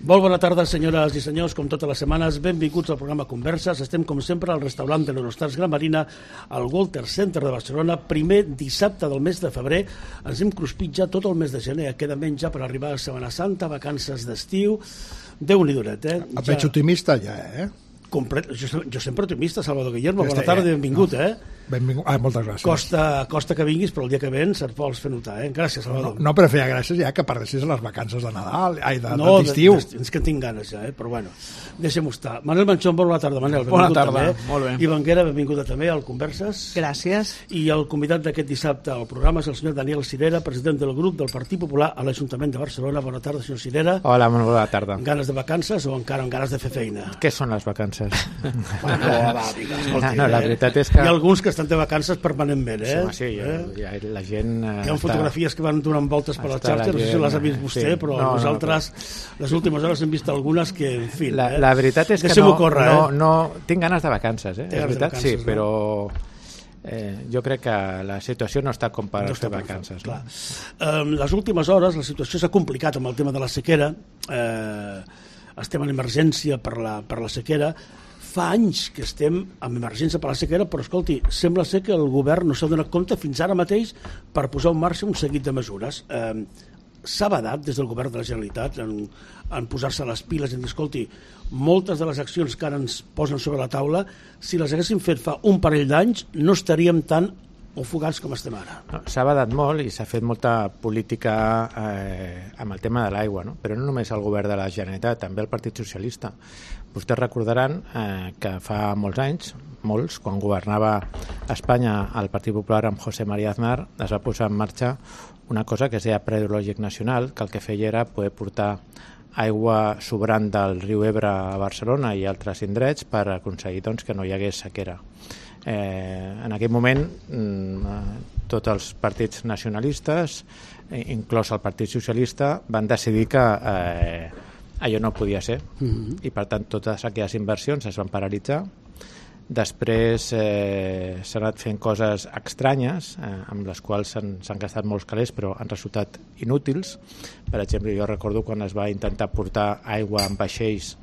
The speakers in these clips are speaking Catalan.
Molt bona tarda, senyores i senyors, com totes les setmanes, benvinguts al programa Converses. Estem, com sempre, al restaurant de l'Eurostars Gran Marina, al Walter Center de Barcelona, primer dissabte del mes de febrer. Ens hem cruspit ja tot el mes de gener, queda menys ja per arribar a Setmana Santa, vacances d'estiu. Déu-n'hi duret, eh? Et veig optimista ja, eh? Jo sempre optimista, Salvador Guillermo. Bona tarda i benvingut, eh? Benvingut. Moltes gràcies. Costa que vinguis, però el dia que vens et vols fer notar, eh? Gràcies, Salvador. No, però feia gràcies ja que perdessis les vacances de Nadal, d'estiu. No, és que en tinc ganes ja, però bueno, deixem-ho estar. Manel Manchón, bona tarda, Manel. Bona tarda, també. molt bé. I Banguera, benvinguda també al Converses. Gràcies. I el convidat d'aquest dissabte al programa és el senyor Daniel Cirera, president del grup del Partit Popular a l'Ajuntament de Barcelona. Bona tarda, senyor Cirera. Hola, molt bona tarda. Ganes de vacances o encara amb ganes de fer feina? Què són les vacances? La veritat és que... Hi ha alguns que estan de vacances permanentment, eh? Sí, la gent... Hi ha fotografies que van donant voltes per les xarxes, no sé si les ha vist vostè, però nosaltres les últimes hores hem vist algunes que, en fi... La veritat és que no tinc ganes de vacances, eh? És veritat, sí, però... jo crec que la situació no està com per fer vacances. Clar. Les últimes hores la situació s'ha complicat amb el tema de la sequera. Estem en emergència per la sequera. Fa anys que estem en emergència per la sequera, però escolti, sembla ser que el govern no s'ha donat compte fins ara mateix per posar en marxa un seguit de mesures. S'ha badat des del govern de la Generalitat en posar-se les piles i en dir, escolti, moltes de les accions que ara ens posen sobre la taula, si les haguéssim fet fa un parell d'anys, no estaríem tan ofegats com estem ara. S'ha badat molt i s'ha fet molta política amb el tema de l'aigua, no? Però no només el govern de la Generalitat, també el Partit Socialista. Vostès recordaran que fa molts anys, quan governava Espanya el Partit Popular amb José María Aznar, es va posar en marxa una cosa que es deia Pla Hidrològic Nacional, que el que feia era poder portar aigua sobrant del riu Ebre a Barcelona i altres indrets per aconseguir que no hi hagués sequera. En aquell moment tots els partits nacionalistes, inclòs el Partit Socialista, van decidir que allò no podia ser i per tant totes aquelles inversions es van paralitzar. Després s'han anat fent coses estranyes amb les quals s'han gastat molts calés però han resultat inútils. Per exemple, jo recordo quan es va intentar portar aigua en vaixells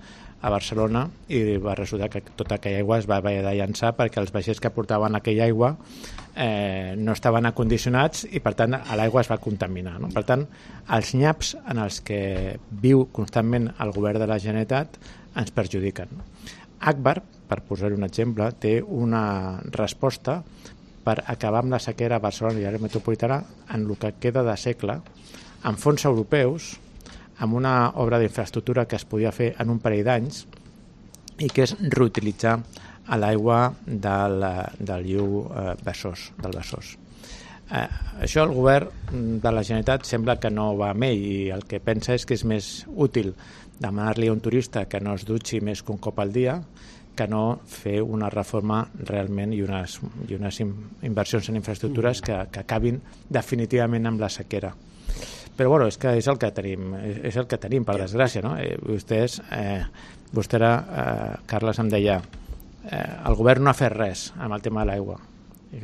a Barcelona i va resultar que tota aquella aigua es va haver de llançar perquè els vaixells que portaven aquella aigua no estaven acondicionats i per tant l'aigua es va contaminar, no? Per tant, els nyaps en els que viu constantment el govern de la Generalitat ens perjudiquen. Agbar, per posar un exemple, té una resposta per acabar amb la sequera a Barcelona i l'àrea metropolitana en el que queda de segle, amb fons europeus, amb una obra d'infraestructura que es podia fer en un parell d'anys i que és reutilitzar l'aigua del riu Besòs, del Besòs. Això el govern de la Generalitat sembla que no va amb ell i el que pensa és que és més útil demanar-li a un turista que no es dutxi més que un cop al dia que no fer una reforma realment i unes inversions en infraestructures que acabin definitivament amb la sequera. Però bueno, és que és el que tenim, per desgràcia, no? Vostè era, Carles em deia, el govern no ha fet res amb el tema de l'aigua.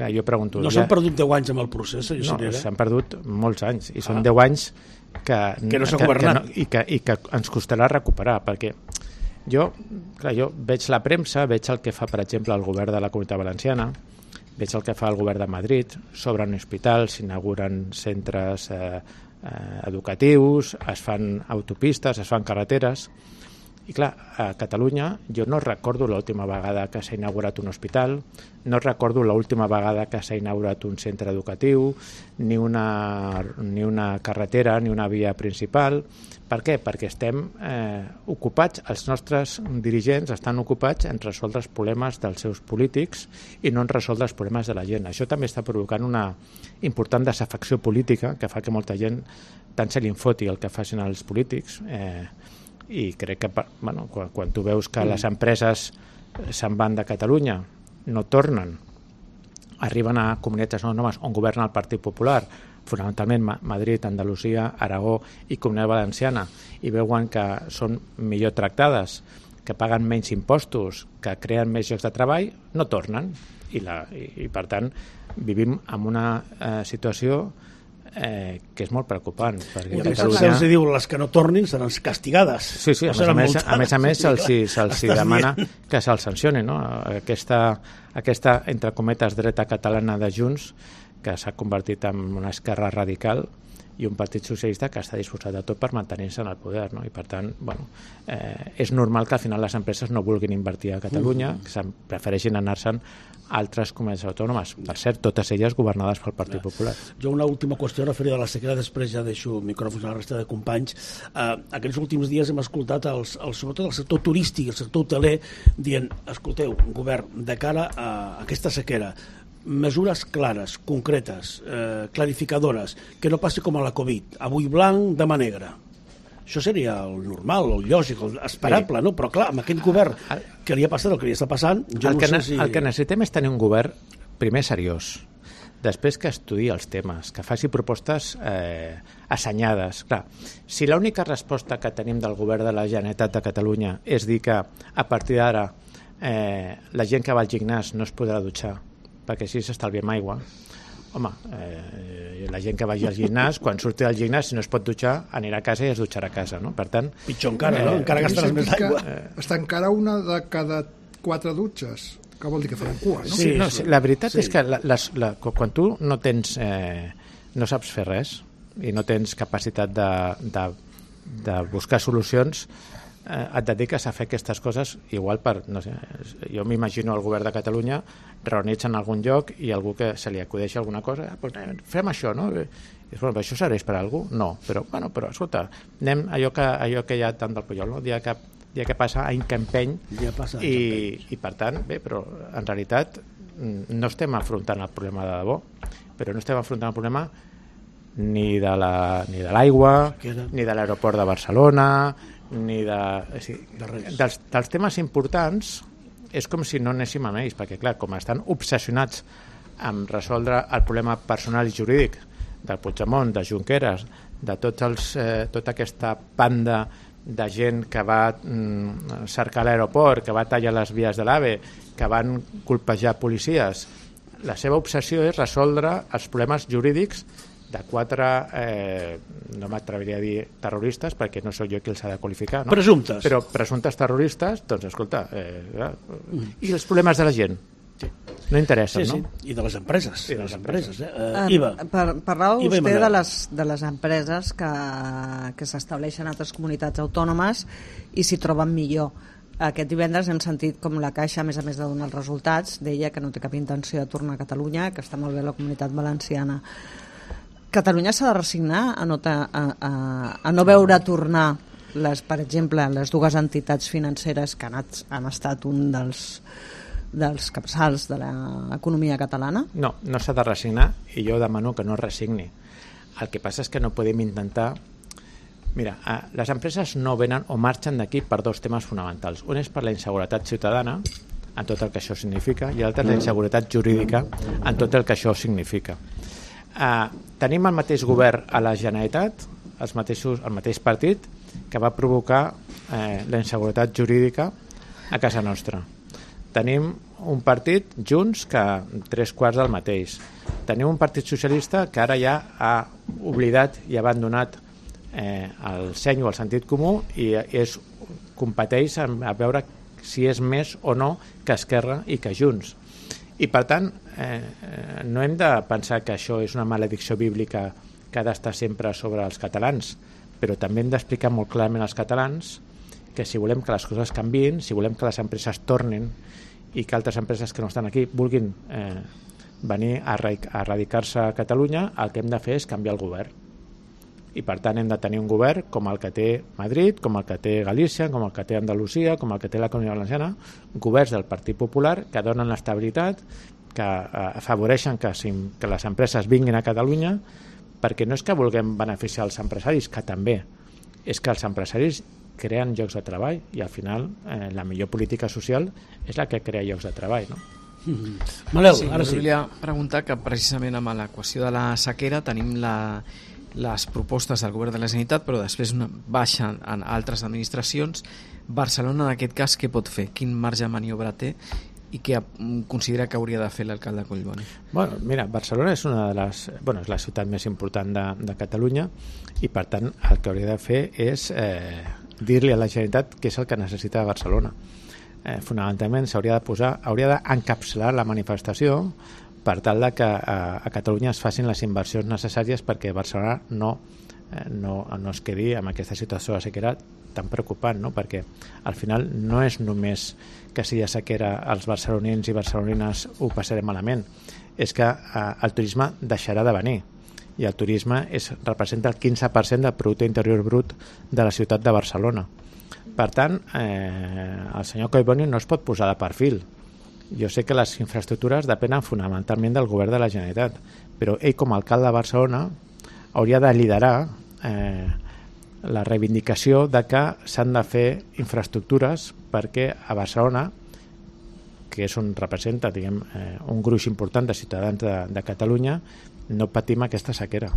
Jo pregunto... No s'han perdut 10 anys amb el procés, senyor Cirera? No, s'han perdut molts anys, i són 10 anys que no s'ha governat. I que ens costarà recuperar, perquè jo veig la premsa, veig el que fa, per exemple, el govern de la Comunitat Valenciana, veig el que fa el govern de Madrid, s'obren hospitals, s'inauguren centres educatius, es fan autopistes, es fan carreteres, i clar, a Catalunya jo no recordo l'última vegada que s'ha inaugurat un hospital, no recordo l'última vegada que s'ha inaugurat un centre educatiu, ni una carretera, ni una via principal. Per què? Perquè estem ocupats, els nostres dirigents estan ocupats en resoldre els problemes dels seus polítics i no en resoldre els problemes de la gent. Això també està provocant una important desafecció política que fa que molta gent tant se li foti el que facin els polítics i crec que quan tu veus que les empreses se'n van de Catalunya, no tornen, arriben a comunitats autònomes on governa el Partit Popular, fonamentalment Madrid, Andalusia, Aragó i Comunitat Valenciana, i veuen que són millor tractades, que paguen menys impostos, que creen més llocs de treball, no tornen. I per tant vivim en una situació que és molt preocupant. I se'ls diu les que no tornin seran castigades. Sí, a més se'ls demana que se'ls sancioni, no? Aquesta, entre cometes, dreta catalana de Junts, que s'ha convertit en una esquerra radical, i un partit socialista que està disposat a tot per mantenir-se en el poder, no? I per tant, és normal que al final les empreses no vulguin invertir a Catalunya, que prefereixin anar-se'n a altres comunitats autònomes, per cert, totes elles governades pel Partit Popular. Jo una última qüestió referida a la sequera, després ja deixo micròfons a la resta de companys. Aquests últims dies hem escoltat sobretot el sector turístic, el sector hoteler, dient, escolteu, govern, de cara a aquesta sequera, mesures clares, concretes, clarificadores, que no passi com a la Covid, avui blanc, demà negre. Això seria el normal, el lògic, el esperable, no? Però clar, amb aquest govern que li ha passat el que li està passant, jo no sé si... El que necessitem és tenir un govern, primer, seriós, després que estudiï els temes, que faci propostes assenyades. Clar, si l'única resposta que tenim del govern de la Generalitat de Catalunya és dir que a partir d'ara la gent que va al gimnàs no es podrà dutxar, perquè així s'estalviem aigua. Home, la gent que vagi al gimnàs, quan surti del gimnàs, si no es pot dutxar, anirà a casa i es dutxarà a casa, no? Per tant... Pitjor encara, no? Encara gastaràs més aigua. Està encara una de cada 4 dutxes, que vol dir que faran cua, no? Sí, la veritat és que quan tu no tens... no saps fer res i no tens capacitat de buscar solucions, et dediques a fer aquestes coses igual per, no sé, jo m'imagino el govern de Catalunya reunits en algun lloc i algú que se li acudeixi alguna cosa, pues, fem això, no? I bueno, això serveix per a algú? No, però escolta, anem allò que hi ha tant del Pujol, no? Dia que passa, any que empeny, i per tant, bé, però en realitat no estem afrontant el problema de debò, però no estem afrontant el problema ni de l'aigua, ni de l'aeroport de Barcelona, ni dels temes importants. És com si no anéssim amb ells, perquè clar, com estan obsessionats amb resoldre el problema personal i jurídic del Puigdemont, de Junqueras, de tota aquesta banda de gent que va cercar l'aeroport, que va tallar les vies de l'AVE, que van colpejar policies, la seva obsessió és resoldre els problemes jurídics de 4, no m'atreviria a dir terroristes, perquè no sóc jo qui els ha de qualificar, no? Presumptes. Però presumptes terroristes, doncs escolta, i els problemes de la gent? Sí. No interessen, no? I de les empreses. Iva. Parlava vostè de les empreses que s'estableixen a altres comunitats autònomes i s'hi troben millor. Aquest divendres hem sentit com la Caixa, a més de donar els resultats, deia que no té cap intenció de tornar a Catalunya, que està molt bé la Comunitat Valenciana. Catalunya s'ha de resignar a no veure tornar, per exemple, les dues entitats financeres que han estat un dels capçals de l'economia catalana? No s'ha de resignar, i jo demano que no es resigni. El que passa és que no podem intentar... Mira, les empreses no venen o marxen d'aquí per 2 temes fonamentals. Un és per la inseguretat ciutadana, en tot el que això significa, i l'altre és la inseguretat jurídica, en tot el que això significa. Tenim el mateix govern a la Generalitat, el mateix partit, que va provocar la inseguretat jurídica a casa nostra. Tenim un partit, Junts, que 3/4 del mateix. Tenim un partit socialista que ara ja ha oblidat i abandonat el seny o el sentit comú i competeix a veure si és més o no que Esquerra i que Junts. I per tant, no hem de pensar que això és una maledicció bíblica que ha d'estar sempre sobre els catalans, però també hem d'explicar molt clarament als catalans que si volem que les coses canviïn, si volem que les empreses tornin i que altres empreses que no estan aquí vulguin venir a radicar-se a Catalunya, el que hem de fer és canviar el govern. I per tant hem de tenir un govern com el que té Madrid, com el que té Galícia, com el que té Andalusia, com el que té la Comunitat Valenciana, governs del Partit Popular que donen estabilitat, que afavoreixen que les empreses vinguin a Catalunya, perquè no és que vulguem beneficiar els empresaris, que també, és que els empresaris creen llocs de treball i al final la millor política social és la que crea llocs de treball, no? Manel, sí, ara sí. Volia preguntar que precisament amb l'equació de la sequera tenim les propostes del govern de la Generalitat, però després baixen en altres administracions. Barcelona, en aquest cas, què pot fer? Quin marge de maniobra té i què considera que hauria de fer l'alcalde Collboni? Bueno, mira, Barcelona és una de les... Bueno, és la ciutat més important de Catalunya i, per tant, el que hauria de fer és dir-li a la Generalitat què és el que necessita Barcelona. Fonamentalment hauria d'encapçalar la manifestació per tal de que a Catalunya es facin les inversions necessàries perquè Barcelona no es quedi amb aquesta situació de sequera tan preocupant, no? Perquè al final no és només que si hi ha sequera els barcelonins i barcelonines ho passarem malament, és que el turisme deixarà de venir i el turisme representa el 15% del producte interior brut de la ciutat de Barcelona. Per tant, el senyor Collboni no es pot posar de perfil. Jo sé que les infraestructures depenen fonamentalment del govern de la Generalitat, però ell com a alcalde de Barcelona hauria de liderar la reivindicació de que s'han de fer infraestructures perquè a Barcelona, que és on representa un gruix important de ciutadans de Catalunya, no patim aquesta sequera.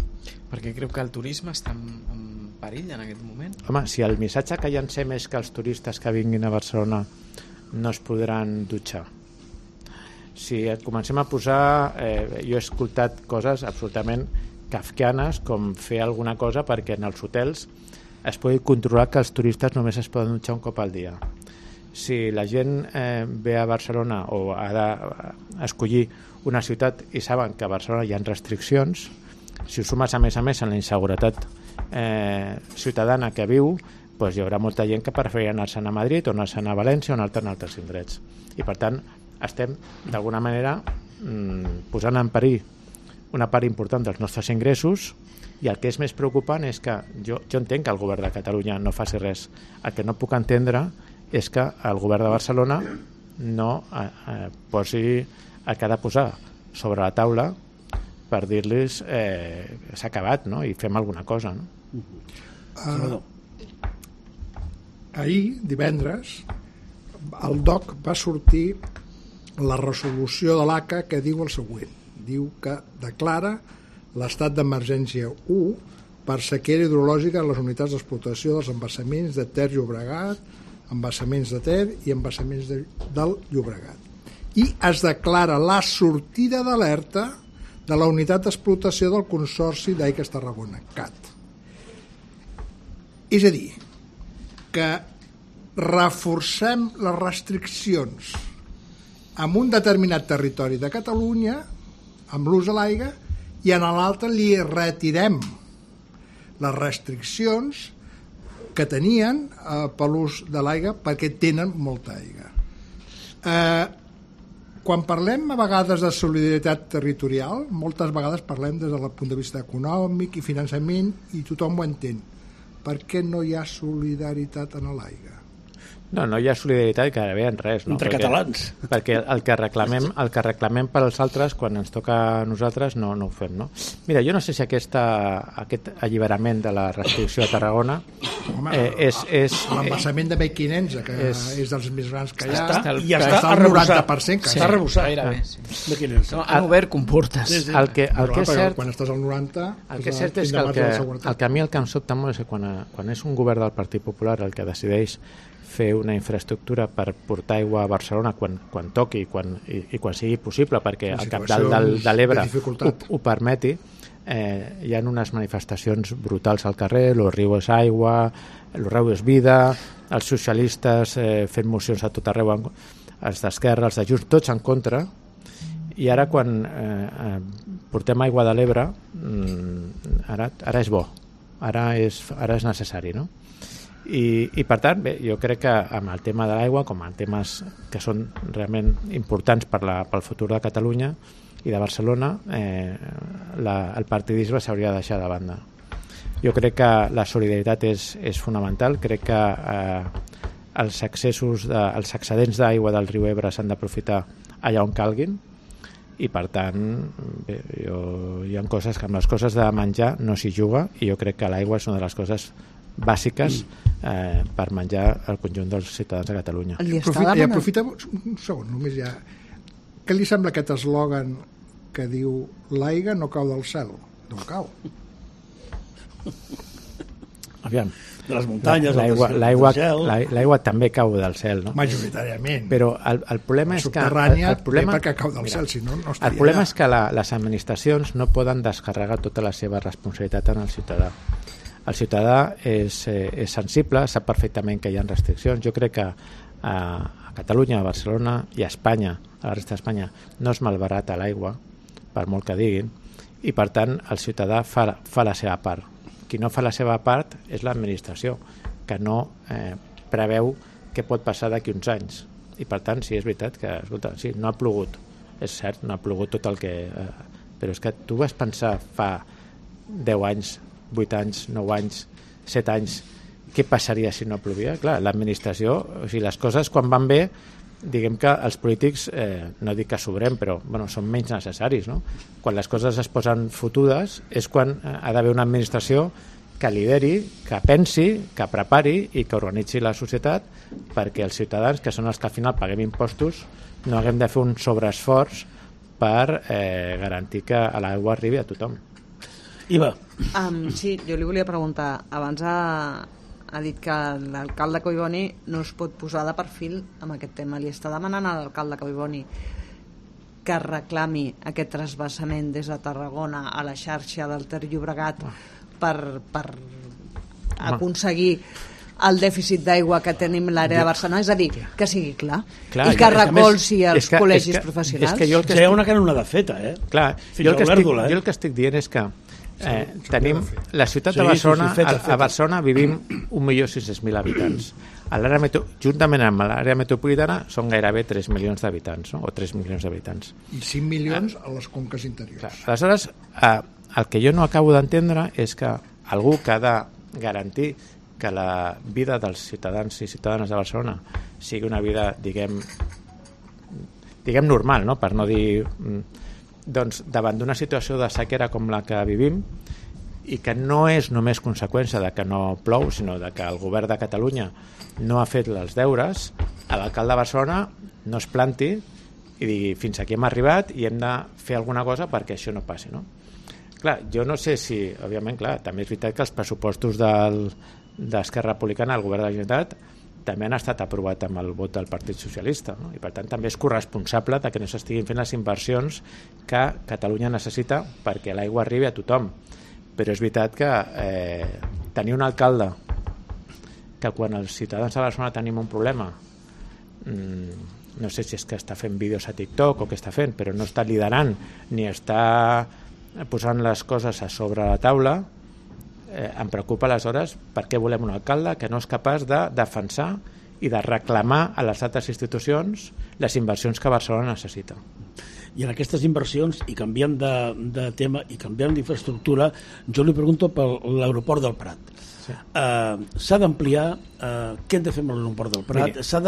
Perquè creu que el turisme està en perill en aquest moment? Home, si el missatge que llancem és que els turistes que vinguin a Barcelona no es podran dutxar, si comencem a posar... jo he escoltat coses absolutament kafkianes, com fer alguna cosa perquè en els hotels es pugui controlar que els turistes només es poden dutxar un cop al dia. Si la gent ve a Barcelona o ha d'escollir una ciutat i saben que a Barcelona hi ha restriccions, si ho sumes a més en la inseguretat ciutadana que viu, doncs hi haurà molta gent que preferirà anar-se'n a Madrid o anar-se'n a València o anar-te'n a altres indrets. I per tant estem d'alguna manera posant en perill una part important dels nostres ingressos, i el que és més preocupant és que jo entenc que el govern de Catalunya no faci res. El que no puc entendre és que el govern de Barcelona no posi el que ha de posar sobre la taula per dir-los s'ha acabat, no? I fem alguna cosa, no? Ahir, divendres, el DOC va sortir la resolució de l'ACA que diu el següent. Diu que declara l'estat d'emergència 1 per sequera hidrològica en les unitats d'explotació dels embassaments de Ter Llobregat, embassaments de Ter i embassaments del Llobregat. I es declara la sortida d'alerta de la unitat d'explotació del Consorci d'Aigües Tarragona, CAT. És a dir, que reforcem les restriccions en un determinat territori de Catalunya amb l'ús de l'aigua i en l'altre li retirem les restriccions que tenien per l'ús de l'aigua perquè tenen molta aigua. Quan parlem a vegades de solidaritat territorial, moltes vegades parlem des del punt de vista econòmic i finançament i tothom ho entén. Per què no hi ha solidaritat en l'aigua? No hi ha solidaritat gairebé en res, no? Entre catalans. Perquè el que reclamem per als altres, quan ens toca a nosaltres, no ho fem, no? Mira, jo no sé si aquest alliberament de la restricció a Tarragona és... L'embassament de Mequinensa, que és dels més grans que hi ha, està al 90%. Està arrebossat. Mequinensa. Han obert comportes. El que és cert... Quan estàs al 90... El que és cert és que a mi el que em sobta molt és que quan és un govern del Partit Popular el que decideix fer una infraestructura per portar aigua a Barcelona quan toqui i quan sigui possible, perquè el cabdal de l'Ebre ho permeti, hi ha unes manifestacions brutals al carrer, el riu és aigua, el riu és vida, els socialistes fent mocions a tot arreu, els d'Esquerra, els de Junts, tots en contra, i ara quan portem aigua de l'Ebre ara és bo, ara és necessari, no? I per tant, bé, jo crec que amb el tema de l'aigua, com a temes que són realment importants pel futur de Catalunya i de Barcelona, el partidisme s'hauria de deixar de banda. Jo crec que la solidaritat és fonamental, crec que els excedents d'aigua del riu Ebre s'han d'aprofitar allà on calguin, i per tant bé, hi ha coses que amb les coses de menjar no s'hi juga, i jo crec que l'aigua és una de les coses bàsiques per menjar el conjunt dels ciutadans de Catalunya. Aprofita un segon, només ja. Què li sembla aquest eslògan que diu l'aigua no cau del cel? No cau. Aviam, de les muntanyes, l'aigua també cau del cel, no? Majoritàriament. Però el problema és que... Subterrània perquè cau del cel, si no estaria el problema és que les administracions no poden descarregar tota la seva responsabilitat en el ciutadà. El ciutadà és sensible, sap perfectament que hi ha restriccions. Jo crec que a Catalunya, a Barcelona i a Espanya, a la resta d'Espanya, no es malbarata l'aigua, per molt que diguin, i per tant el ciutadà fa la seva part. Qui no fa la seva part és l'administració, que no preveu què pot passar d'aquí uns anys. I per tant, sí, és veritat que, escolta, sí, no ha plogut, és cert, no ha plogut tot el que... però és que tu vas pensar fa 10 anys, 8 anys, 9 anys, 7 anys, què passaria si no plovia? Clar, l'administració, o sigui, les coses quan van bé, diguem que els polítics, no dic que sobrem, però bueno, són menys necessaris, no? Quan les coses es posen fotudes és quan ha d'haver una administració que lideri, que pensi, que prepari i que organitzi la societat perquè els ciutadans, que són els que al final paguem impostos, no haguem de fer un sobreesforç per garantir que l'aigua arribi a tothom. Iva. Sí, jo li volia preguntar, abans ha dit que l'alcalde Collboni no es pot posar de perfil amb aquest tema. Li està demanant a l'alcalde Collboni que reclami aquest transvasament des de Tarragona a la xarxa del Ter Llobregat per aconseguir el dèficit d'aigua que tenim a l'àrea de Barcelona, és a dir, que sigui clar i que recolzi els col·legis professionals. Hi ha una canonada feta, Clar, jo el que estic dient és que tenim la ciutat de Barcelona, a Barcelona vivim 1.600.000 habitants. Juntament amb l'àrea metropolitana són gairebé 3 milions d'habitants, o 3 milions d'habitants. I 5 milions a les conques interiors. Aleshores, el que jo no acabo d'entendre és que algú que ha de garantir que la vida dels ciutadans i ciutadanes de Barcelona sigui una vida, diguem normal, no? Per no dir... doncs davant d'una situació de sequera com la que vivim i que no és només conseqüència de que no plou, sinó de que el govern de Catalunya no ha fet els deures, l'alcalde de Barcelona no es planti i digui fins aquí hem arribat i hem de fer alguna cosa perquè això no passi, no? Clar, jo no sé si, òbviament, clar, també és veritat que els pressupostos d'Esquerra Republicana, el govern de la Generalitat, també han estat aprovat amb el vot del Partit Socialista, no? I per tant també és corresponsable de que no s'estiguin fent les inversions que Catalunya necessita perquè l'aigua arribi a tothom. Però és veritat que tenir un alcalde que quan els ciutadans de Barcelona tenim un problema, no sé si és que està fent vídeos a TikTok o què està fent, però no està liderant ni està posant les coses a sobre la taula, em preocupa aleshores per què volem un alcalde que no és capaç de defensar i de reclamar a les altres institucions les inversions que Barcelona necessita. I en aquestes inversions, i canviant de tema i canviant d'infraestructura, jo li pregunto per l'aeroport del Prat. Sí. S'ha d'ampliar, què hem de fer amb l'aeroport del Prat? S'ha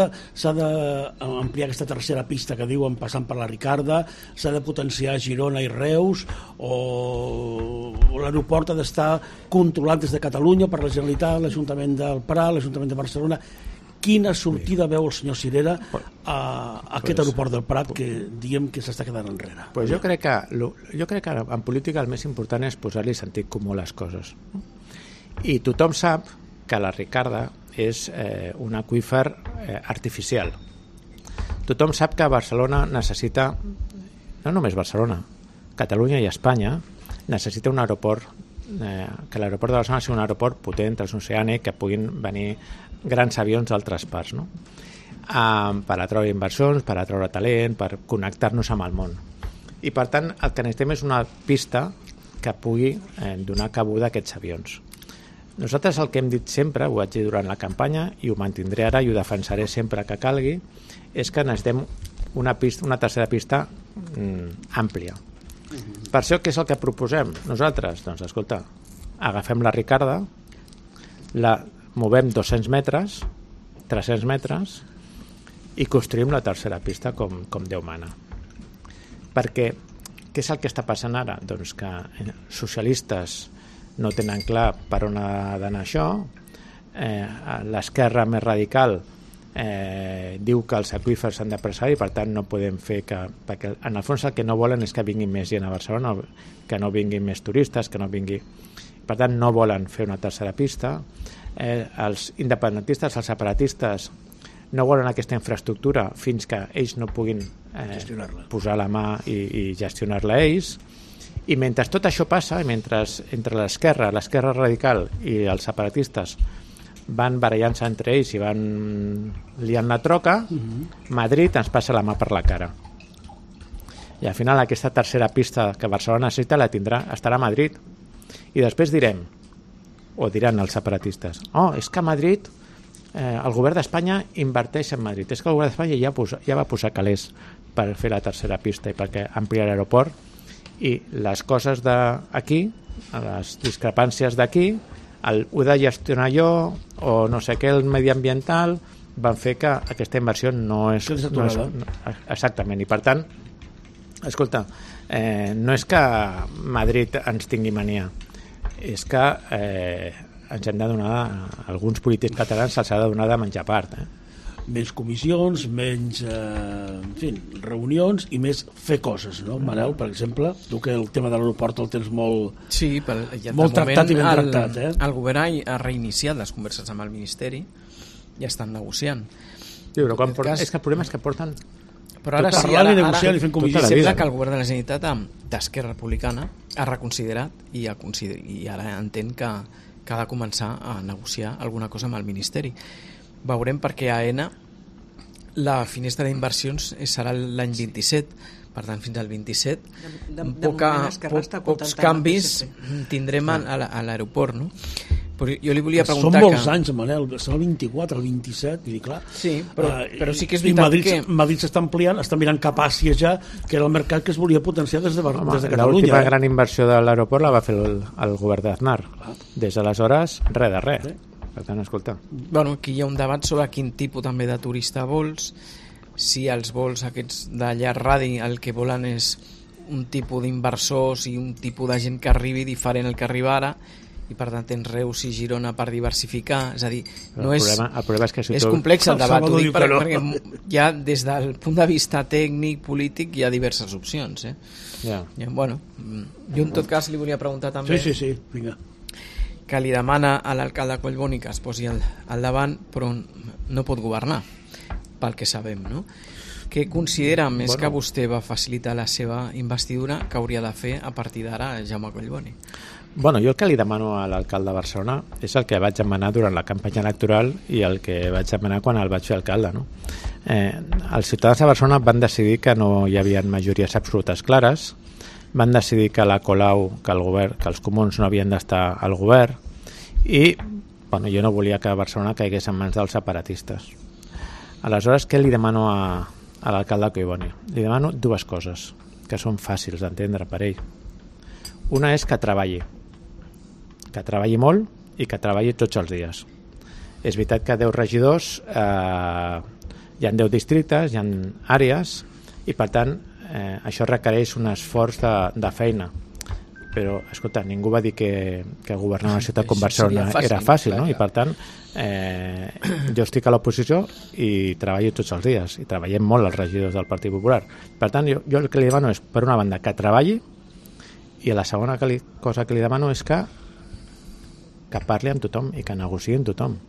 d'ampliar aquesta tercera pista que diuen passant per la Ricarda, s'ha de potenciar Girona i Reus, o l'aeroport ha d'estar controlat des de Catalunya per la Generalitat, l'Ajuntament del Prat, l'Ajuntament de Barcelona. Quina sortida veu el senyor Cirera a aquest aeroport del Prat que diem que s'està quedant enrere? Jo crec que en política el més important és posar-li sentit comú a les coses. I tothom sap que la Ricarda és un aqüífer artificial. Tothom sap que Barcelona necessita, no només Barcelona, Catalunya i Espanya, necessita un aeroport, que l'aeroport de Barcelona sigui un aeroport potent, transoceànic, que puguin venir grans avions d'altres parts, no? Per atreure inversions, per atreure talent, per connectar-nos amb el món. I per tant el que necessitem és una pista que pugui donar cabuda a aquests avions. Nosaltres el que hem dit sempre, ho vaig dir durant la campanya i ho mantindré ara i ho defensaré sempre que calgui, és que necessitem una tercera pista àmplia. Per això què és el que proposem nosaltres? Doncs escolta, agafem la Ricarda, la movem 200 metres, 300 metres i construïm la tercera pista com Déu mana. Perquè què és el que està passant ara? Doncs que socialistes no tenen clar per on ha d'anar això, l'esquerra més radical diu que els aqüífers s'han de preservar i per tant no podem fer perquè en el fons el que no volen és que vinguin més gent a Barcelona, que no vinguin més turistes, que no vingui, per tant no volen fer una tercera pista. els independentistes, els separatistes, no volen aquesta infraestructura fins que ells no puguin posar la mà i gestionar-la ells. I mentre tot això passa, i mentre entre l'esquerra radical i els separatistes van barallant-se entre ells i van liant la troca, Madrid ens passa la mà per la cara. I al final aquesta tercera pista que Barcelona necessita la tindrà, estarà a Madrid. I després direm, o diran els separatistes, és que a Madrid el govern d'Espanya inverteix en Madrid, és que el govern d'Espanya ja va posar calés per fer la tercera pista i perquè ampliar l'aeroport, i les coses d'aquí, les discrepàncies d'aquí, ho de gestionar jo o no sé què, el mediambiental, van fer que aquesta inversió no és exactament, i per tant escolta, no és que Madrid ens tingui mania, és que ens hem de donar, alguns polítics catalans se'ls ha de donar de menjar part, menys comissions, menys reunions i més fer coses, no? Manel, per exemple, tu que el tema de l'aeroport el tens molt tractat i ben tractat. El govern ha reiniciat les converses amb el Ministeri i estan negociant. Sí, però és que el problema és que porten... Però ara sí, ara sembla que el govern de la Generalitat d'Esquerra Republicana ha reconsiderat i ara entén que ha de començar a negociar alguna cosa amb el Ministeri. Veurem, perquè a AENA la finestra d'inversions serà l'any 27, per tant fins al 27 pocs canvis tindrem a l'aeroport, no? Però jo li volia preguntar són molts anys, Manel, són el 24, el 27, vull dir, clar. Sí, però sí que és veritat que... Madrid s'està ampliant, està mirant cap a Àsia ja, que era el mercat que es volia potenciar des de Catalunya. L'última gran inversió de l'aeroport la va fer el govern d'Aznar. Des d'aleshores, res de res. Per tant, escolta. Bueno, aquí hi ha un debat sobre quin tipus també de turista vols, si els vols aquests de llarg radi el que volen és un tipus d'inversors i un tipus de gent que arribi diferent al que arriba ara, i per tant tens Reus i Girona per diversificar, és a dir, no és, el problema és, que és complex el debat, ho dic perquè ja des del punt de vista tècnic, polític, hi ha diverses opcions. Bueno, jo en tot cas li volia preguntar també vinga, que li demana a l'alcalde Collboni que es posi al davant, però no pot governar, pel que sabem, no? Què considera, més que vostè va facilitar la seva investidura, que hauria de fer a partir d'ara Jaume Collboni? Bueno, jo el que li demano a l'alcalde de Barcelona és el que vaig demanar durant la campanya electoral i el que vaig demanar quan el vaig fer alcalde, no? Els ciutadans de Barcelona van decidir que no hi havia majories absolutes clares, van decidir que la Colau, que el govern, que els comuns no havien d'estar al govern, i bueno, jo no volia que Barcelona caigués en mans dels separatistes. Aleshores, què li demano a l'alcalde Collboni? Li demano dues coses que són fàcils d'entendre per ell. Una és que treballi molt i que treballi tots els dies. És veritat que 10 regidors hi ha 10 districtes, hi ha àrees, i per tant això requereix un esforç de feina, però escolta, ningú va dir que governar una ciutat com Barcelona era fàcil, no? I per tant jo estic a l'oposició i treballo tots els dies, i treballem molt els regidors del Partit Popular. Per tant, jo el que li demano és, per una banda, que treballi, i la segona cosa que li demano és que parli amb tothom i que negociï amb tothom,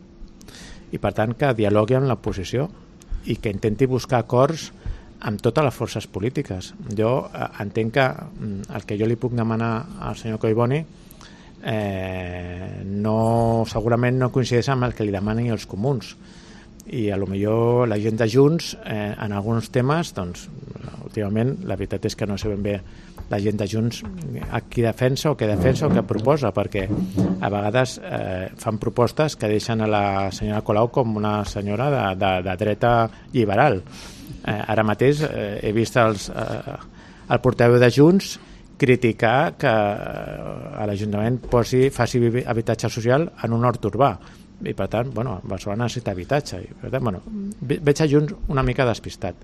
i per tant que dialogui amb l'oposició i que intenti buscar acords amb totes les forces polítiques. Jo entenc que el que jo li puc demanar al senyor Collboni segurament no coincideix amb el que li demanen els comuns, i a lo millor la gent de Junts en alguns temes, doncs últimament la veritat és que no sé ben bé la gent de Junts a qui defensa o què proposa, perquè a vegades fan propostes que deixen a la senyora Colau com una senyora de dreta liberal. Ara mateix he vist el portaveu de Junts criticar que l'Ajuntament faci habitatge social en un hort urbà, i per tant, Barcelona necessita habitatge, i per tant, veig a Junts una mica despistat.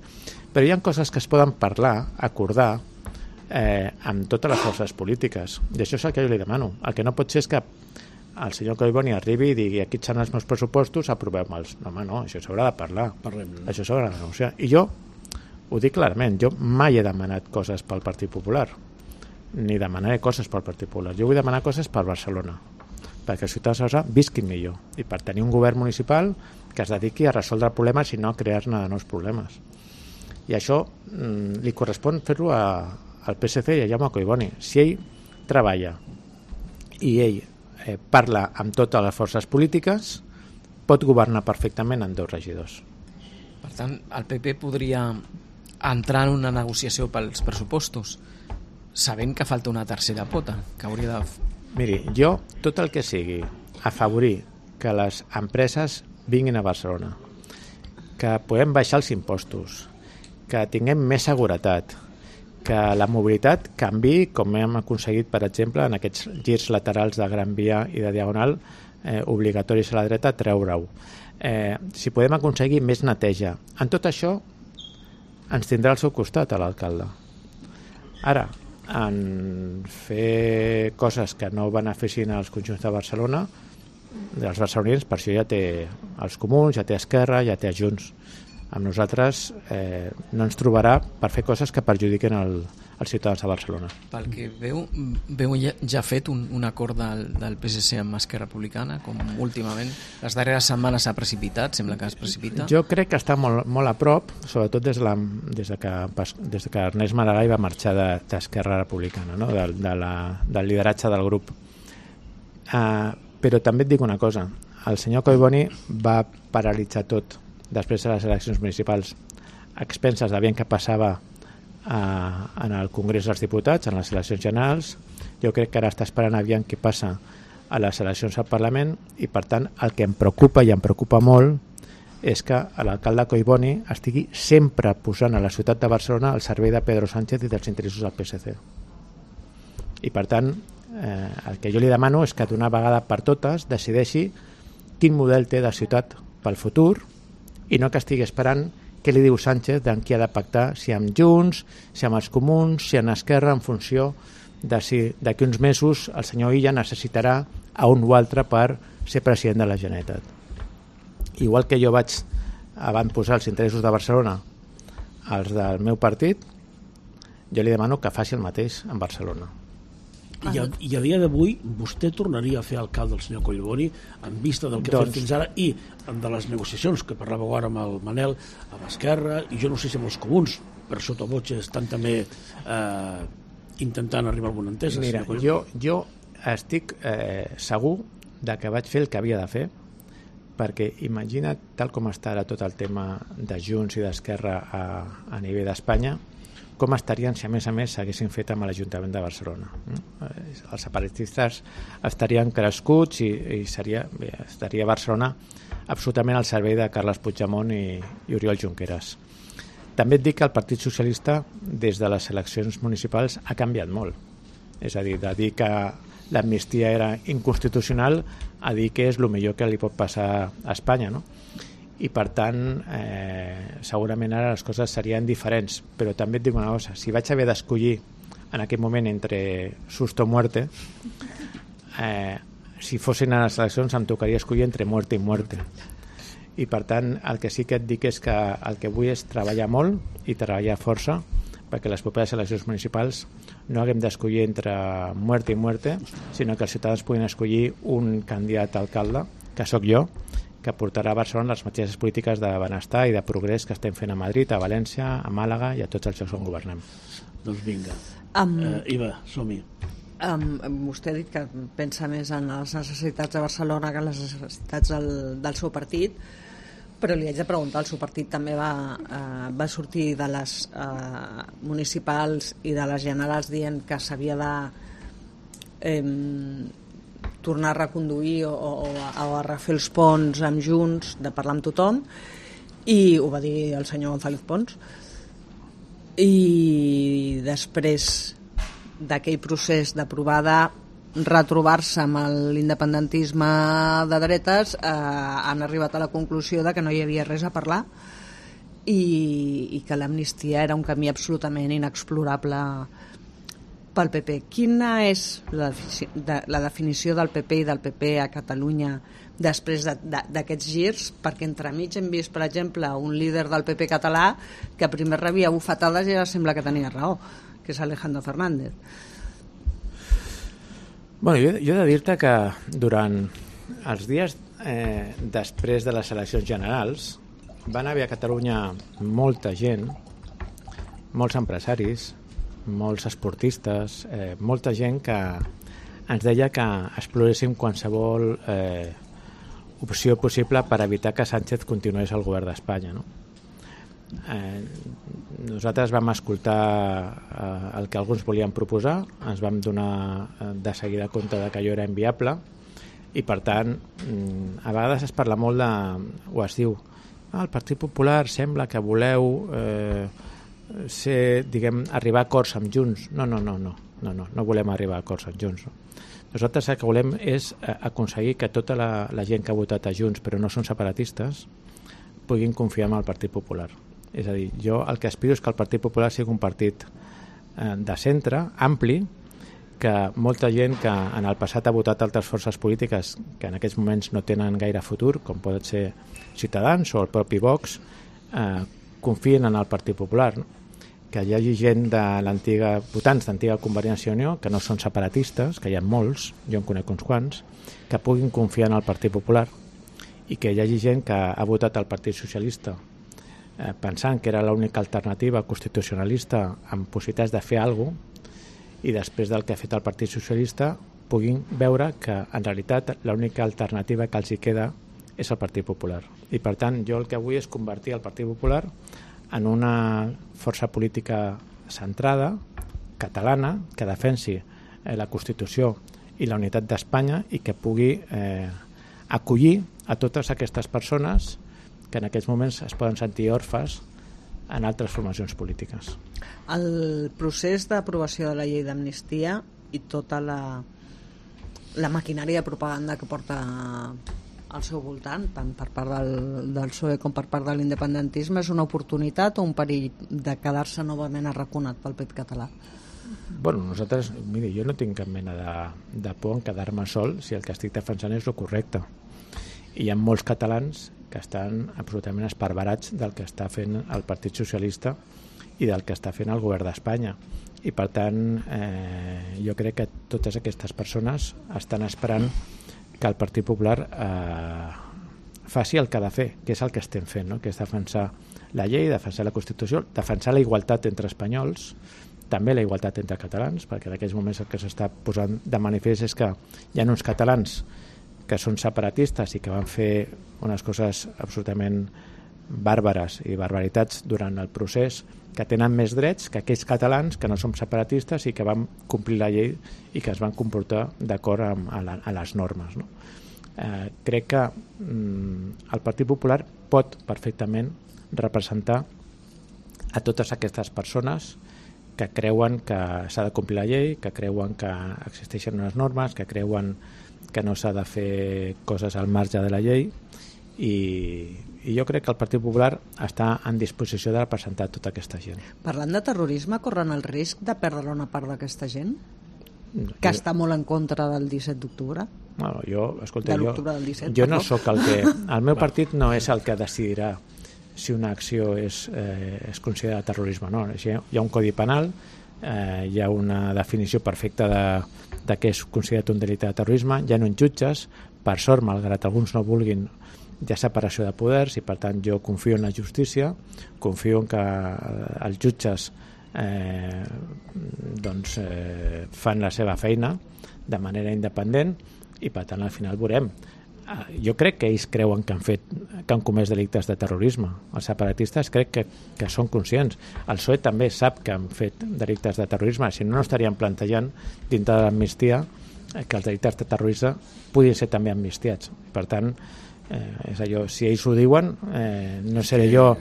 Però hi ha coses que es poden parlar, acordar amb totes les forces polítiques, i això és el que jo li demano. El que no pot ser és que el senyor Collboni arribi i digui aquí són els meus pressupostos, aprovem-los. No, això s'haurà de parlar, això s'haurà de negociar. I jo ho dic clarament, jo mai he demanat coses pel Partit Popular, ni demanaré coses pel Partit Popular. Jo vull demanar coses per Barcelona, perquè els ciutadans de Barcelona visquin millor i per tenir un govern municipal que es dediqui a resoldre problemes i no a crear-ne de nous problemes. I això li correspon fer-lo al PSC i a Jaume Collboni. Si ell treballa i ell parla amb totes les forces polítiques, pot governar perfectament amb 2 regidors. Per tant, el PP podria entrar en una negociació pels pressupostos sabent que falta una tercera pota que hauria de... Miri, jo tot el que sigui afavorir que les empreses vinguin a Barcelona, que podem baixar els impostos, que tinguem més seguretat, que la mobilitat canvi com hem aconseguit, per exemple, en aquests girs laterals de Gran Via i de Diagonal obligatoris a la dreta, treure-ho. Si podem aconseguir més neteja, en tot això ens tindrà al seu costat a l'alcalde. Ara, en fer coses que no beneficien als conjunts de Barcelona, dels barcelonins, per això ja té els comuns, ja té Esquerra, ja té Junts. Amb nosaltres no ens trobarà per fer coses que perjudiquen els ciutadans de Barcelona. Pel que veu ja fet un acord del PSC amb Esquerra Republicana, com últimament les darreres setmanes s'ha precipitat, sembla que es precipita. Jo crec que està molt a prop, sobretot des que Ernest Maragall va marxar d'Esquerra Republicana, no? del lideratge del grup. Però també et dic una cosa, el senyor Collboni va paralitzar tot després de les eleccions municipals a expenses de veient què passava en el Congrés dels Diputats, en les eleccions generals. Jo crec que ara està esperant aviam què passa a les eleccions al Parlament i, per tant, el que em preocupa, i em preocupa molt, és que l'alcalde Collboni estigui sempre posant a la ciutat de Barcelona al servei de Pedro Sánchez i dels interessos del PSC. I, per tant, el que jo li demano és que d'una vegada per totes decideixi quin model té de ciutat pel futur i no que estigui esperant què li diu Sánchez d'en qui ha de pactar, si amb Junts, si amb els comuns, si amb Esquerra, en funció de si d'aquí uns mesos el senyor Illa necessitarà a un o altre per ser president de la Generalitat. Igual que jo vaig avantposar els interessos de Barcelona als del meu partit, jo li demano que faci el mateix en Barcelona. I a dia d'avui vostè tornaria a fer alcalde el senyor Collboni en vista del que ha fet fins ara i de les negociacions que parlàveu ara amb el Manel, amb Esquerra i jo no sé si amb els comuns per sota voce estan també intentant arribar a alguna entesa. Mira, jo estic segur de que vaig fer el que havia de fer, perquè imagina't tal com està ara tot el tema de Junts i d'Esquerra a nivell d'Espanya, com estarien si a més s'haguessin fet amb l'Ajuntament de Barcelona. Els separatistes estarien crescuts i estaria Barcelona absolutament al servei de Carles Puigdemont i Oriol Junqueras. També et dic que el Partit Socialista des de les eleccions municipals ha canviat molt. És a dir, de dir que l'amnistia era inconstitucional a dir que és el millor que li pot passar a Espanya, no? I per tant segurament ara les coses serien diferents, però també et dic una cosa, si vaig haver d'escollir en aquell moment entre susto o muerte, si fossin a les eleccions em tocaria escollir entre muerte i muerte, i per tant el que sí que et dic és que el que vull és treballar molt i treballar força perquè les properes eleccions municipals no haguem d'escollir entre muerte i muerte, sinó que els ciutadans puguin escollir un candidat a alcalde, que sóc jo, que portarà a Barcelona les mateixes polítiques de benestar i de progrés que estem fent a Madrid, a València, a Màlaga i a tots els llocs on governem. Doncs vinga. Iva, som-hi. Vostè ha dit que pensa més en les necessitats de Barcelona que en les necessitats del seu partit, però li haig de preguntar, el seu partit també va sortir de les municipals i de les generals dient que s'havia de tornar a reconduir o a refer els ponts amb Junts, de parlar amb tothom, i ho va dir el senyor González Pons. I després d'aquell procés de provar de retrobar-se amb l'independentisme de dretes, han arribat a la conclusió de que no hi havia res a parlar i que l'amnistia era un camí absolutament inexplorable pel PP. Quina és la definició del PP i del PP a Catalunya després d'aquests girs? Perquè entremig hem vist, per exemple, un líder del PP català que primer rebia bufetades i ara sembla que tenia raó, que és Alejandro Fernández. Bueno, jo he de dir-te que durant els dies després de les eleccions generals van haver a Catalunya molta gent, molts empresaris, molts esportistes, molta gent que ens deia que exploréssim qualsevol opció possible per evitar que Sánchez continués al govern d'Espanya, no? Nosaltres vam escoltar el que alguns volien proposar, ens vam donar de seguida compte de que allò era inviable i per tant a vegades es parla molt o es diu el Partit Popular sembla que voleu arribar a acords amb Junts. No volem arribar a acords amb Junts, no. Nosaltres el que volem és aconseguir que tota la gent que ha votat a Junts però no són separatistes puguin confiar en el Partit Popular. És a dir, jo el que aspiro és que el Partit Popular sigui un partit de centre, ampli, que molta gent que en el passat ha votat altres forces polítiques que en aquests moments no tenen gaire futur, com poden ser Ciutadans o el propi Vox, confien en el Partit Popular, no? Que hi hagi gent de l'antiga, votants d'antiga Convergència i Unió, que no són separatistes, que hi ha molts, jo en conec uns quants, que puguin confiar en el Partit Popular i que hi hagi gent que ha votat al Partit Socialista pensant que era l'única alternativa constitucionalista amb possibilitats de fer alguna cosa i després del que ha fet el Partit Socialista puguin veure que en realitat l'única alternativa que els hi queda és el Partit Popular. I per tant jo el que vull és convertir el Partit Popular en una força política centrada, catalana, que defensi la Constitució i la unitat d'Espanya i que pugui acollir a totes aquestes persones que en aquests moments es poden sentir orfes en altres formacions polítiques. El procés d'aprovació de la llei d'amnistia i tota la maquinària de propaganda que porta al seu voltant, tant per part del PSOE com per part de l'independentisme, és una oportunitat o un perill de quedar-se novament arraconat pel pet català? Bueno, nosaltres, mira, jo no tinc cap mena de por en quedar-me sol si el que estic defensant és el correcte. I hi ha molts catalans que estan absolutament esparverats del que està fent el Partit Socialista i del que està fent el govern d'Espanya. I per tant, jo crec que totes aquestes persones estan esperant que el Partit Popular faci el que ha de fer, que és el que estem fent, no? Que és defensar la llei, defensar la Constitució, defensar la igualtat entre espanyols, també la igualtat entre catalans, perquè en aquells moments el que s'està posant de manifest és que hi ha uns catalans que són separatistes i que van fer unes coses absolutament bàrbares i barbaritats durant el procés, que tenen més drets que aquells catalans que no som separatistes i que van complir la llei i que es van comportar d'acord a les normes, no? Crec que el Partit Popular pot perfectament representar a totes aquestes persones que creuen que s'ha de complir la llei, que creuen que existeixen unes normes, que creuen que no s'ha de fer coses al marge de la llei i jo crec que el Partit Popular està en disposició de representar tota aquesta gent. Parlant de terrorisme, corren el risc de perdre una part d'aquesta gent? Que està molt en contra del 17 d'octubre? Bueno, escolta, de l'octubre del 17, jo no sóc el que... El meu partit no és el que decidirà si una acció és considerada terrorisme o no. Hi ha un codi penal, hi ha una definició perfecta de què és considerat un delicte de terrorisme, hi ha uns jutges, per sort, malgrat alguns no vulguin, hi ha separació de poders i per tant jo confio en la justícia, confio en que els jutges fan la seva feina de manera independent i per tant al final veurem. Jo crec que ells creuen que han comès delictes de terrorisme. Els separatistes crec que són conscients. El PSOE també sap que han fet delictes de terrorisme, si no estarien plantejant dintre de l'amnistia que els delictes de terrorisme puguin ser també amnistiats. Per tant, és allò, si ells ho diuen, no seré jo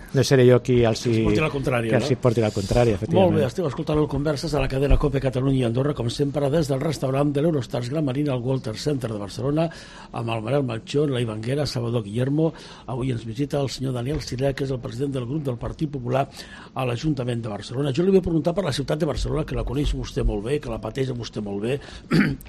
qui els porti la contrària, Molt bé, esteu escoltant el Converses a la cadena COPE Catalunya i Andorra, com sempre des del restaurant de l'Eurostars Gran Marina al Walter Center de Barcelona, amb el Manel Melchor, la Ivanguera, Salvador Guillermo. Avui ens visita el senyor Daniel Siré, que és el president del grup del Partit Popular a l'Ajuntament de Barcelona. Jo li vull preguntar per la ciutat de Barcelona, que la coneix vostè molt bé, que la pateix vostè molt bé.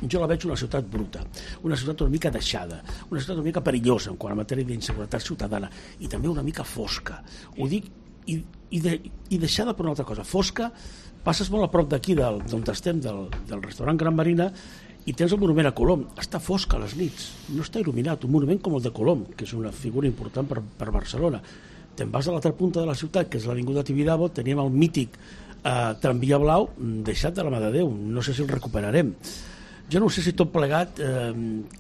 Jo la veig una ciutat bruta, una ciutat una mica deixada, una ciutat una mica perillosa en quant a matèria d'inseguretat ciutadana i també una mica fosca. Ho dic i deixada per una altra cosa. Fosca, passes molt a prop d'aquí d'on estem, del restaurant Gran Marina, i tens el monument a Colom, està fosc a les nits, no està il·luminat, un monument com el de Colom, que és una figura important per Barcelona. Te'n vas a l'altra punta de la ciutat, que és l'Avinguda Tibidabo, teníem el mític tramvia blau deixat de la mà de Déu, no sé si el recuperarem. Jo no sé si tot plegat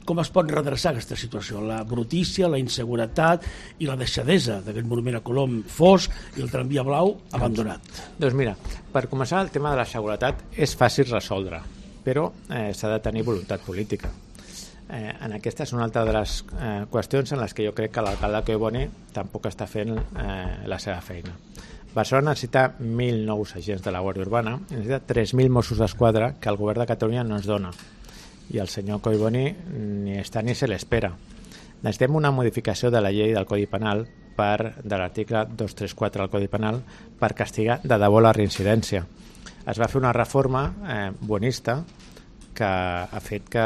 com es pot redreçar aquesta situació, la brutícia, la inseguretat i la deixadesa d'aquest monument a Colom fosc i el tramvia blau abandonat. Doncs mira, per començar, el tema de la seguretat és fàcil resoldre, però s'ha de tenir voluntat política. En aquesta és una altra de les qüestions en les que jo crec que l'alcalde Collboni tampoc està fent la seva feina. Barcelona necessita 1.000 nous agents de la Guàrdia Urbana, necessita 3.000 Mossos d'Esquadra que el govern de Catalunya no ens dona, i el senyor Collboni ni està ni se l'espera. Necessitem una modificació de la llei del Codi Penal de l'article 234 del Codi Penal per castigar de debò la reincidència. Es va fer una reforma bonista que ha fet que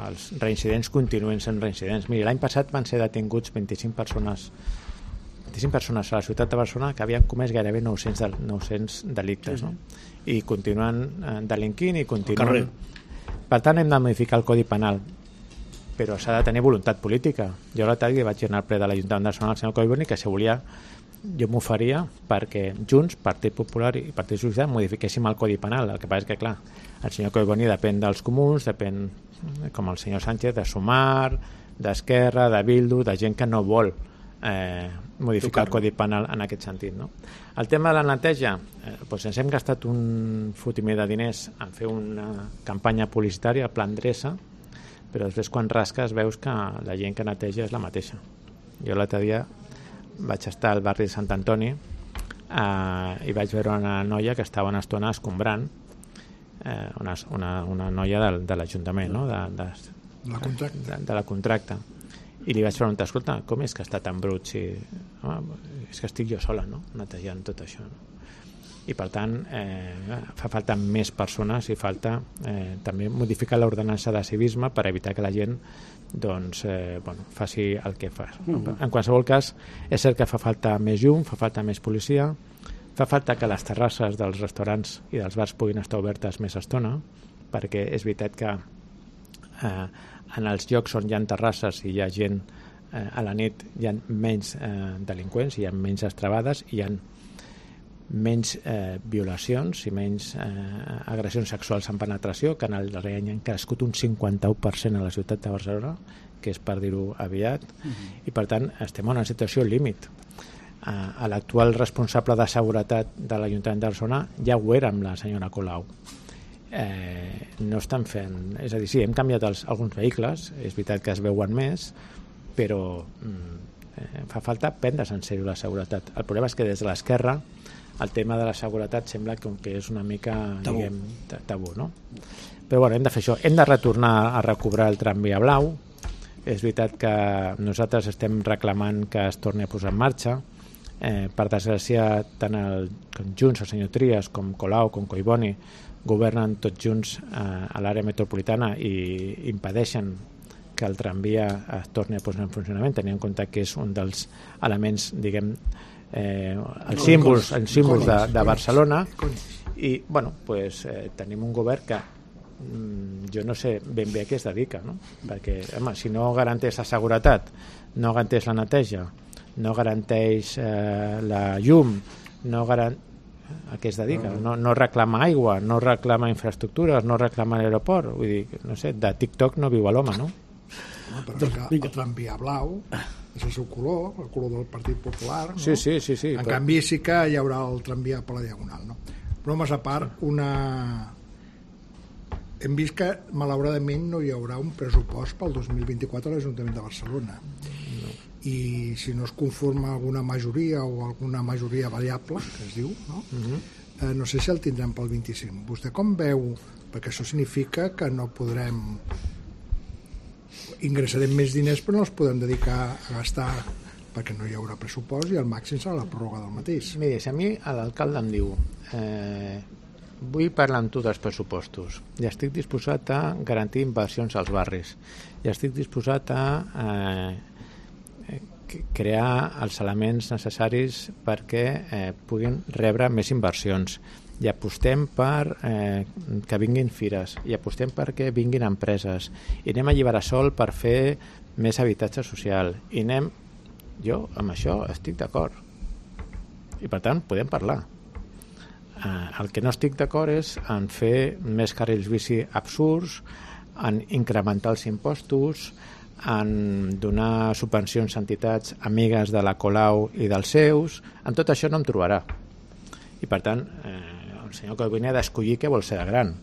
els reincidents continuïn sent reincidents. Miri, l'any passat van ser detinguts 25 persones a la ciutat de Barcelona que havien comès gairebé 900 delictes, no? I continuen delinquint i continuen... Per tant, hem de modificar el Codi Penal, però s'ha de tenir voluntat política. Jo l'altre dia vaig anar al ple de l'Ajuntament de Barcelona, el senyor Collboni, que si volia jo m'ho faria perquè Junts, Partit Popular i Partit Socialista modifiquéssim el Codi Penal. El que passa és que, clar, el senyor Collboni depèn dels comuns, depèn, com el senyor Sánchez, de Sumar, d'Esquerra, de Bildu, de gent que no vol modificar el Codi Penal en aquest sentit, no? El tema de la neteja, doncs ens hem gastat un fotimer de diners en fer una campanya publicitària, el Plan Dreça, però després quan rasques veus que la gent que neteja és la mateixa. Jo l'altre dia vaig estar al barri de Sant Antoni i vaig veure una noia que estava una estona escombrant, una noia de l'Ajuntament, no? de la contracta. I li vaig preguntar, escolta, com és que està tan brut? Si... és que estic jo sola, no?, netejant tot això, no? I per tant fa falta més persones i falta també modificar l'ordenança de civisme per evitar que la gent doncs, faci el que fa. En qualsevol cas, és cert que fa falta més llum, fa falta més policia, fa falta que les terrasses dels restaurants i dels bars puguin estar obertes més estona, perquè és veritat que en els llocs on hi ha terrasses i hi ha gent a la nit hi ha menys delinqüents, hi ha menys estrabades, hi ha menys violacions i menys agressions sexuals en penetració, que en el darrer any han crescut un 51% a la ciutat de Barcelona, que és per dir-ho aviat, i per tant estem en una situació límit. A l'actual responsable de seguretat de l'Ajuntament de Barcelona ja ho era amb la senyora Colau. No estan fent, és a dir, sí, hem canviat alguns vehicles, és veritat que es veuen més, però fa falta prendre's en sèrio la seguretat. El problema és que des de l'esquerra el tema de la seguretat sembla que és una mica tabú, no? Però bueno, hem de fer això, hem de retornar a recobrar el tramvia blau. És veritat que nosaltres estem reclamant que es torni a posar en marxa. Per desgràcia, tant el Junts, el senyor Trias, com Colau, com Collboni governen tots junts a l'àrea metropolitana i impedeixen que el tramvia es torni a posar en funcionament, tenint en compte que és un dels elements, diguem, els símbols de Barcelona. I bueno, pues, tenim un govern que jo no sé ben bé a què es dedica, no? Perquè home, si no garanteix la seguretat, no garanteix la neteja, no garanteix la llum, no garanteix a què es dedica, no reclama aigua, no reclama infraestructures, no reclama l'aeroport, vull dir, no sé, de TikTok no viu l'home, no? Però el tramvia blau és el seu color, el color del Partit Popular, no? Sí. En canvi sí que hi haurà el tramvia per la Diagonal, no? Però més a part, hem vist que malauradament no hi haurà un pressupost pel 2024 a l'Ajuntament de Barcelona. I si no es conforma alguna majoria o alguna majoria variable, que es diu, no? No sé si el tindrem pel 25. Vostè com veu? Perquè això significa que no podrem... ingressarem més diners però no els podem dedicar a gastar perquè no hi haurà pressupost i al màxim serà la pròrroga del mateix. Miri, si a mi l'alcalde em diu vull parlar amb tu dels pressupostos i estic disposat a garantir inversions als barris i estic disposat a crear els elements necessaris perquè puguin rebre més inversions i apostem per que vinguin fires, i apostem perquè vinguin empreses, i anem a alliberar sol per fer més habitatge social, i anem... Jo amb això estic d'acord, i per tant podem parlar. El que no estic d'acord és en fer més carrils bici absurds, en incrementar els impostos, en donar subvencions a entitats amigues de la Colau i dels seus. En tot això no em trobarà. I per tant, el senyor Collboni ha d'escollir què vol ser de gran.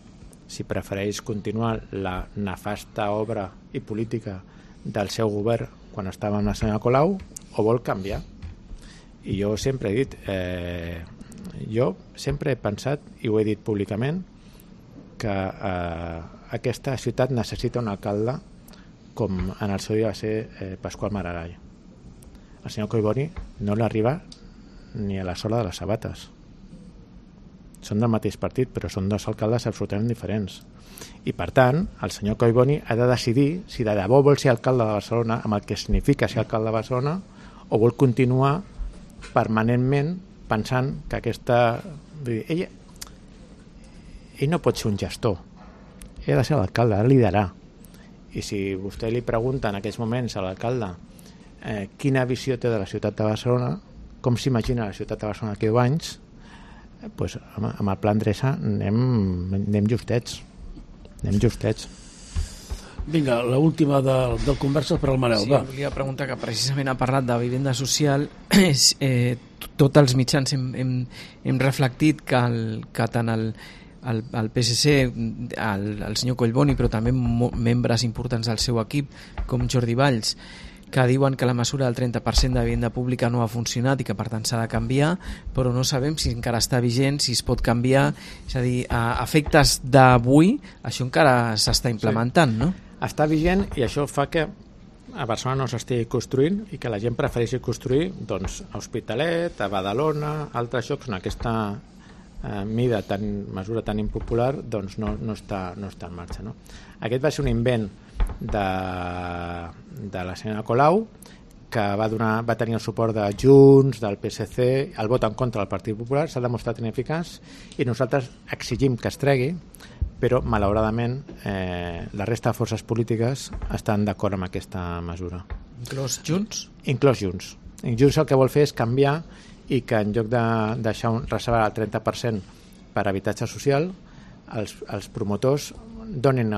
Si prefereix continuar la nefasta obra i política del seu govern quan estava amb la senyora Colau, o vol canviar. I jo sempre he dit, jo sempre he pensat, i ho he dit públicament, que aquesta ciutat necessita un alcalde com en el seu dia va ser Pasqual Maragall. El senyor Collboni no l'arriba ni a la sola de les sabates. Són del mateix partit, però són dos alcaldes absolutament diferents. I per tant, el senyor Collboni ha de decidir si de debò vol ser alcalde de Barcelona, amb el que significa ser alcalde de Barcelona, o vol continuar permanentment pensant que aquesta... Ell no pot ser un gestor, ell ha de ser l'alcalde, ha de liderar. I si vostè li pregunta en aquells moments a l'alcalde quina visió té de la ciutat de Barcelona, com s'imagina la ciutat de Barcelona d'aquí 10 anys, doncs, amb el pla Endreça anem justets. Vinga, l'última del Converses per al Manel. Sí, volia preguntar, que precisament ha parlat de vivenda social. Tots els mitjans hem reflectit que tant el PSC, el senyor Collboni, però també membres importants del seu equip, com Jordi Valls, que diuen que la mesura del 30% de vivenda pública no ha funcionat i que per tant s'ha de canviar, però no sabem si encara està vigent, si es pot canviar. És a dir, a efectes d'avui això encara s'està implementant, no? Està vigent, i això fa que a Barcelona no s'estigui construint i que la gent prefereixi construir doncs, a Hospitalet, a Badalona, altres llocs on aquesta mesura tan impopular doncs no està en marxa, no? Aquest va ser un invent de la senyora Colau, que va tenir el suport de Junts, del PSC, el vot en contra del Partit Popular, s'ha demostrat ineficaç, i nosaltres exigim que es tregui, però malauradament la resta de forces polítiques estan d'acord amb aquesta mesura. Inclòs Junts? Inclòs Junts. Junts el que vol fer és canviar, i que en lloc de deixar reservar el 30% per habitatge social, els promotors donin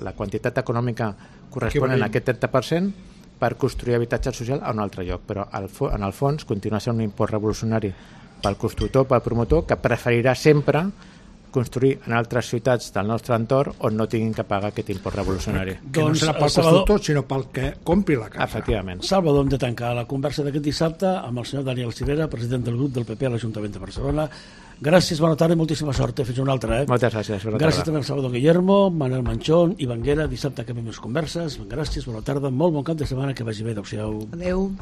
la quantitat econòmica corresponent a aquest 30% per construir habitatge social a un altre lloc, però en el fons continua sent un impost revolucionari pel constructor, pel promotor, que preferirà sempre construir en altres ciutats del nostre entorn on no tinguin que pagar aquest impost revolucionari. Que no serà pel constructor, sinó pel que compri la casa. Efectivament. Salvador, hem de tancar la conversa d'aquest dissabte amb el senyor Daniel Cirera, president del grup del PP a l'Ajuntament de Barcelona. Gràcies, bona tarda i moltíssima sort. Fins una altra. Moltes gràcies. Gràcies també al Salvador Guillermo, Manel Manchón i Banguera. Dissabte acabem les converses. Gràcies, bona tarda, molt bon cap de setmana, que vagi bé. Adéu-siau. Adéu.